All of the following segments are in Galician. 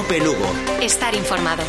COPE Lugo. Estar informado.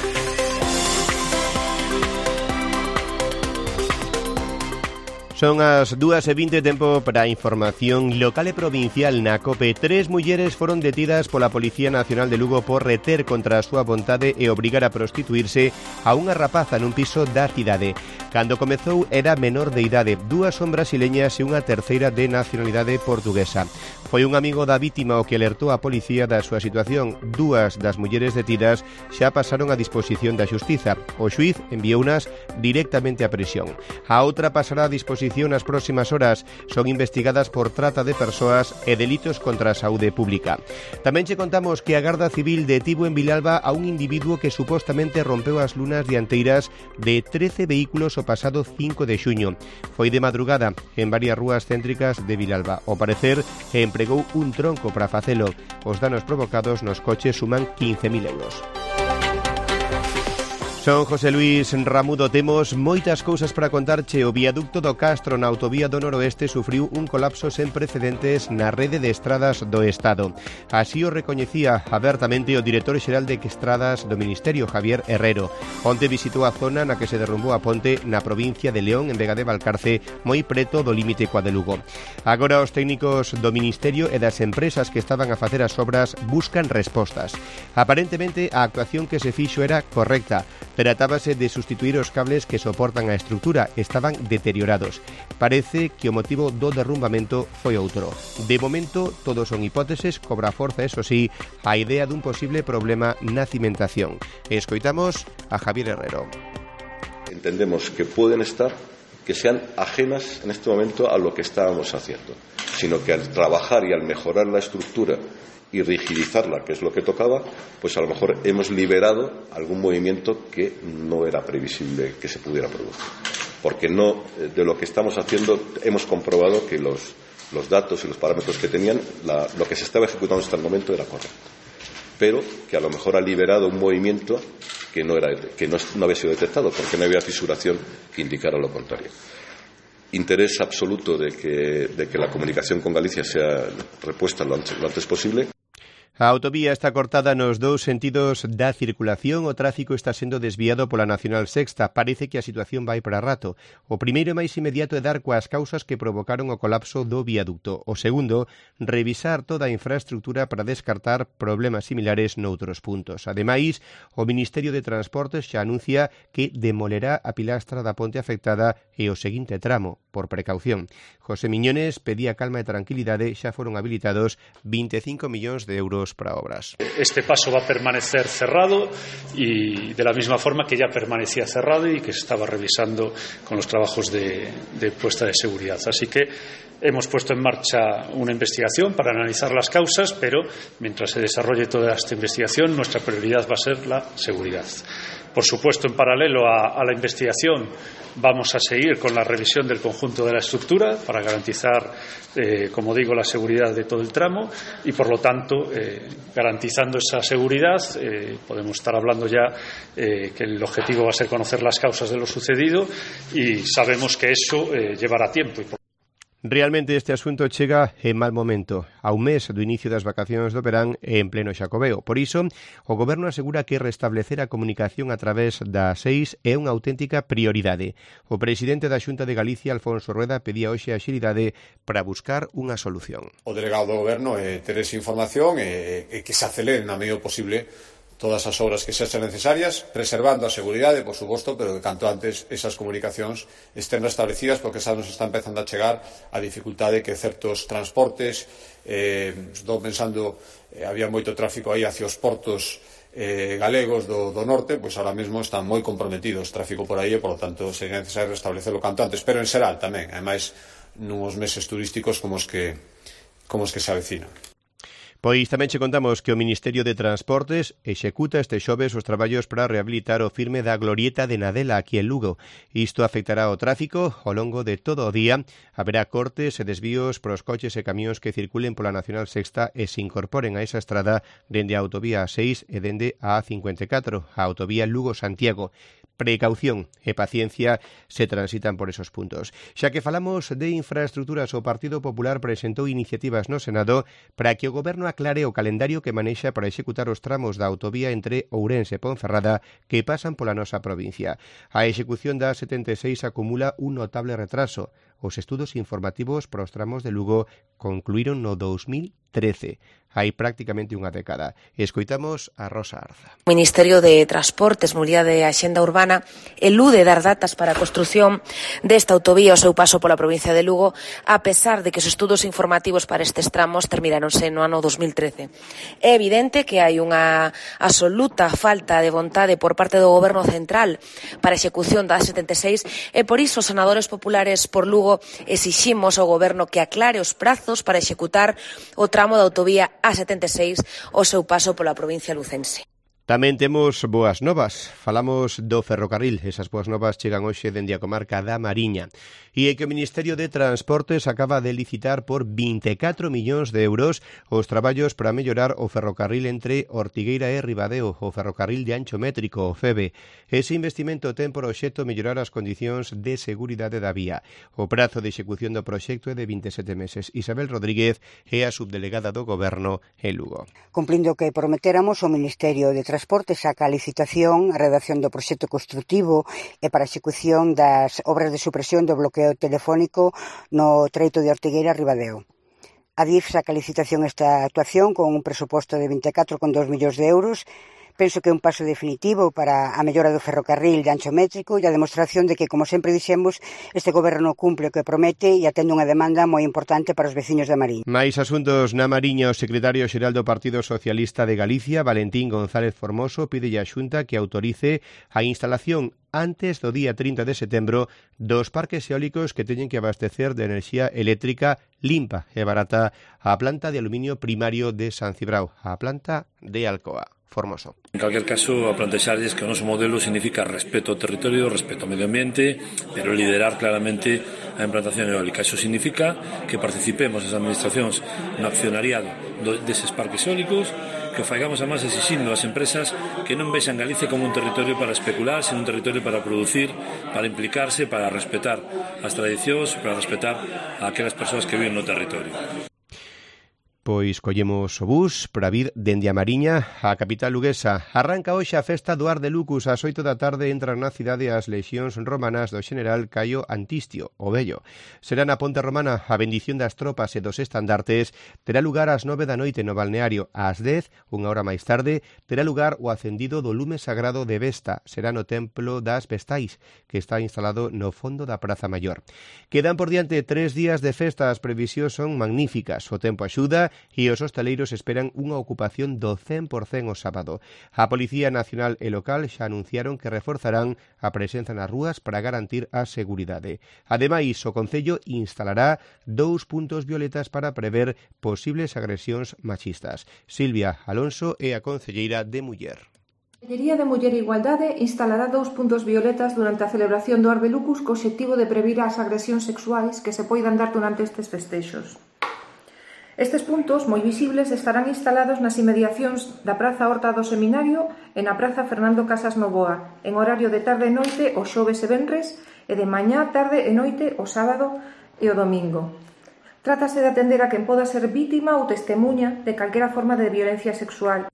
Son as 2:20, tempo para a información local e provincial na COPE. 3 mulleres foron detidas pola Policía Nacional de Lugo por reter contra a súa vontade e obrigar a prostituirse a unha rapaza nun piso da cidade. Cando comezou era menor de idade. 2 son brasileñas e unha terceira de nacionalidade portuguesa. Foi un amigo da vítima o que alertou a policía da súa situación. 2 das mulleres detidas xa pasaron a disposición da xustiza. O xuíz enviounas directamente a prisión. A outra pasará a disposición nas próximas horas. Son investigadas por trata de persoas e delitos contra a saúde pública. Tamén che contamos que a Garda Civil detivo en Vilalba a un individuo que supostamente rompeu as lunas dianteiras de 13 vehículos o pasado 5 de xuño. Foi de madrugada en varias rúas céntricas de Vilalba. Ao parecer, empregou un tronco para facelo. Os danos provocados nos coches suman 15.000 euros. Son José Luis Ramudo. Temos moitas cousas para contarche. O viaducto do Castro na autovía do Noroeste sufriu un colapso sen precedentes na rede de estradas do Estado. Así o recoñecía abertamente o director xeral de estradas do Ministerio, Javier Herrero. Onte visitou a zona na que se derrumbou a ponte na provincia de León, en Vega de Valcarce, moi preto do límite coa de Lugo. Agora os técnicos do Ministerio e das empresas que estaban a facer as obras buscan respostas. Aparentemente a actuación que se fixo era correcta. Tratábase de sustituir os cables que soportan a estrutura, estaban deteriorados. Parece que o motivo do derrumbamento foi outro. De momento, todo son hipóteses, cobra forza, eso sí, a idea dun posible problema na cimentación. Escoitamos a Javier Herrero. Entendemos que pueden estar, que sean ajenas en este momento a lo que estábamos haciendo, sino que al trabajar y al mejorar la estructura y rigidizarla, que es lo que tocaba, pues a lo mejor hemos liberado algún movimiento que no era previsible que se pudiera producir. Porque no, de lo que estamos haciendo, hemos comprobado que los datos y los parámetros que tenían, lo que se estaba ejecutando hasta el momento era correcto. Pero que a lo mejor ha liberado un movimiento que no había sido detectado, porque no había fisuración que indicara lo contrario. Interés absoluto de que la comunicación con Galicia sea repuesta lo antes posible. A autovía está cortada nos dous sentidos da circulación. O tráfico está sendo desviado pola Nacional Sexta. Parece que a situación vai para rato. O primeiro e máis inmediato é dar coas causas que provocaron o colapso do viaducto. O segundo, revisar toda a infraestructura para descartar problemas similares noutros puntos. Ademais, o Ministerio de Transportes xa anuncia que demolerá a pilastra da ponte afectada e o seguinte tramo, por precaución. José Miñones pedía calma e tranquilidade. Xa foron habilitados 25 millóns de euros para obras. Este paso va a permanecer cerrado y de la misma forma que ya permanecía cerrado y que se estaba revisando con los trabajos de puesta de seguridad. Así que hemos puesto en marcha una investigación para analizar las causas, pero mientras se desarrolle toda esta investigación, nuestra prioridad va a ser la seguridad. Por supuesto, en paralelo a la investigación, vamos a seguir con la revisión del conjunto de la estructura para garantizar, como digo, la seguridad de todo el tramo y, por lo tanto, garantizando esa seguridad, podemos estar hablando ya que el objetivo va a ser conocer las causas de lo sucedido y sabemos que eso llevará tiempo. Realmente este asunto chega en mal momento, a un mes do inicio das vacacións do verán e en pleno Xacobeo. Por iso, o Goberno asegura que restablecer a comunicación a través da 6 é unha auténtica prioridade. O presidente da Xunta de Galicia, Alfonso Rueda, pedía hoxe a axilidade para buscar unha solución. O delegado do Goberno é ter esa información e que se acelere na medida posible todas as obras que sexan necesarias, preservando a seguridade, por suposto, pero que canto antes esas comunicacións estén restablecidas, porque xa nos está empezando a chegar a dificultade que certos transportes, estou pensando, había moito tráfico aí hacia os portos galegos do norte, pois ahora mesmo están moi comprometidos tráfico por aí e, por lo tanto, sería necesario restablecerlo canto antes, pero en xeral tamén, ademais, nuns meses turísticos como os que se avecinan. Pois tamén che contamos que o Ministerio de Transportes executa este xoves os traballos para rehabilitar o firme da glorieta de Nadela aquí en Lugo. Isto afectará o tráfico ao longo de todo o día. Haberá cortes e desvíos para os coches e camións que circulen pola Nacional Sexta e se incorporen a esa estrada dende a autovía A6 e dende a A54, a autovía Lugo-Santiago. precaución e paciencia se transitan por esos puntos. Xa que falamos de infraestructuras, o Partido Popular presentou iniciativas no Senado para que o Goberno aclare o calendario que manexa para executar os tramos da autovía entre Ourense e Ponferrada que pasan pola nosa provincia. A execución da A76 acumula un notable retraso. Os estudos informativos para os tramos de Lugo concluíron no 2013. Hai prácticamente unha década. Escoitamos a Rosa Arza. O Ministerio de Transportes, Mobilidade e Axenda Urbana elude dar datas para a construción desta autovía ao seu paso pola provincia de Lugo, a pesar de que os estudos informativos para estes tramos termináronse no ano 2013. É evidente que hai unha absoluta falta de vontade por parte do Goberno central para a execución da A76 e por iso os senadores populares por Lugo exiximos ao Goberno que aclare os prazos para executar o tramo da autovía A76 ao seu paso pola provincia lucense. Tamén temos boas novas. Falamos do ferrocarril. Esas boas novas chegan hoxe dende a comarca da Mariña. E é que o Ministerio de Transportes acaba de licitar por 24 millóns de euros os traballos para mellorar o ferrocarril entre Ortigueira e Ribadeo, o ferrocarril de ancho métrico, o FEBE. Ese investimento ten por obxecto mellorar as condicións de seguridade da vía. O prazo de execución do proxecto é de 27 meses. Isabel Rodríguez é a subdelegada do Goberno en Lugo. Cumplindo o que prometéramos, o Ministerio de Transportes saca a licitación a redacción do proxecto construtivo e para a execución das obras de supresión do bloqueo telefónico no treito de Ortigueira a Ribadeo. A DIF saca a licitación esta actuación con un presuposto de 24,2 millóns de euros. Penso que é un paso definitivo para a mellora do ferrocarril de ancho métrico e a demostración de que, como sempre dixemos, este goberno cumple o que promete e atende unha demanda moi importante para os veciños da Mariña. Mais asuntos na Mariña, o secretario xeral do Partido Socialista de Galicia, Valentín González Formoso, pide á Xunta que autorice a instalación antes do día 30 de setembro dos parques eólicos que teñen que abastecer de enerxía eléctrica limpa e barata a planta de aluminio primario de San Cibrao, a planta de Alcoa. Formoso. En calquer caso, a plantexarlles que o noso modelo significa respeto ao territorio, respeto ao medio ambiente, pero liderar claramente a implantación eólica. Iso significa que participemos as administracións no accionariado deses parques eólicos, que faigamos a máis exixindo ás empresas que non vexan Galicia como un territorio para especular, sino un territorio para producir, para implicarse, para respetar as tradicións, para respetar a aquelas persoas que viven no territorio. Pois collemos o bus para vir dende a Mariña á capital luguesa. Arranca hoxe a festa do Ar de Lucus. Ás 8 da tarde entran na cidade as lexións romanas do xeneral Caio Antistio, o Vello. Será na Ponte Romana a bendición das tropas e dos estandartes. Terá lugar ás 9 da noite no balneario. Ás 10, unha hora máis tarde, terá lugar o acendido do lume sagrado de Vesta. Será no Templo das Vestais, que está instalado no fondo da Praza Maior. Quedan por diante 3 días de festa. As previsións son magníficas. O tempo axuda e os hostaleiros esperan unha ocupación do 100% o sábado. A Policía Nacional e Local xa anunciaron que reforzarán a presenza nas rúas para garantir a seguridade. Ademais, o Concello instalará 2 puntos violetas para prever posibles agresións machistas. Silvia Alonso é a concelleira de Muller. A Consellería de Muller e Igualdade instalará 2 puntos violetas durante a celebración do Ar de Lucus co obxectivo de previr as agresións sexuais que se poidan dar durante estes festexos. Estes puntos, moi visibles, estarán instalados nas inmediacións da Praza Horta do Seminario e na Praza Fernando Casas Novoa, en horario de tarde e noite o xoves e venres e de mañá, tarde e noite o sábado e o domingo. Trátase de atender a quen poda ser vítima ou testemuña de calquera forma de violencia sexual.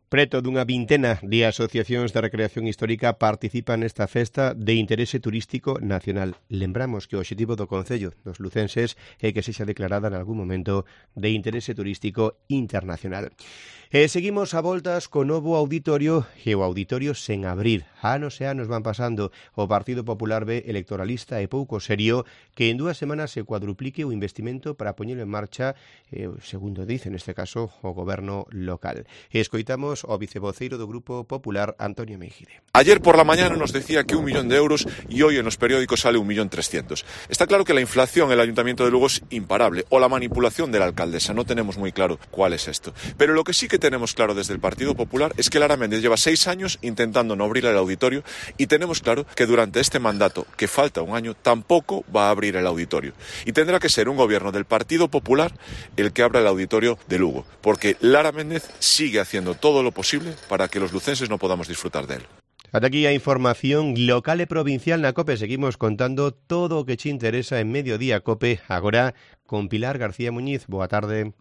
Preto dunha vintena de asociacións de recreación histórica participan nesta festa de interese turístico nacional. Lembramos que o obxectivo do Concello dos lucenses é que sexa declarada en algún momento de interese turístico internacional. E seguimos a voltas co novo auditorio e o auditorio sen abrir. Anos e anos van pasando. O Partido Popular ve electoralista e pouco serio que en 2 semanas se cuadruplique o investimento para poñelo en marcha, segundo dice neste caso o goberno local. Escoitamos o vicevoceiro do Grupo Popular, Antonio Meijide. Ayer por la mañana nos decía que 1 millón de euros y hoy en los periódicos sale 1.300.000. Está claro que la inflación en el Ayuntamiento de Lugo es imparable, o la manipulación de la alcaldesa, no tenemos muy claro cuál es esto. Pero lo que sí que tenemos claro desde el Partido Popular es que Lara Méndez lleva 6 años intentando no abrir el auditorio y tenemos claro que durante este mandato, que falta un año, tampoco va a abrir el auditorio. Y tendrá que ser un gobierno del Partido Popular el que abra el auditorio de Lugo, porque Lara Méndez sigue haciendo todo lo posible para que los lucenses no podamos disfrutar de él. Ata aquí a información local e provincial na COPE. Seguimos contando todo o que te interesa en Mediodía COPE. Agora con Pilar García Muñiz. Boa tarde.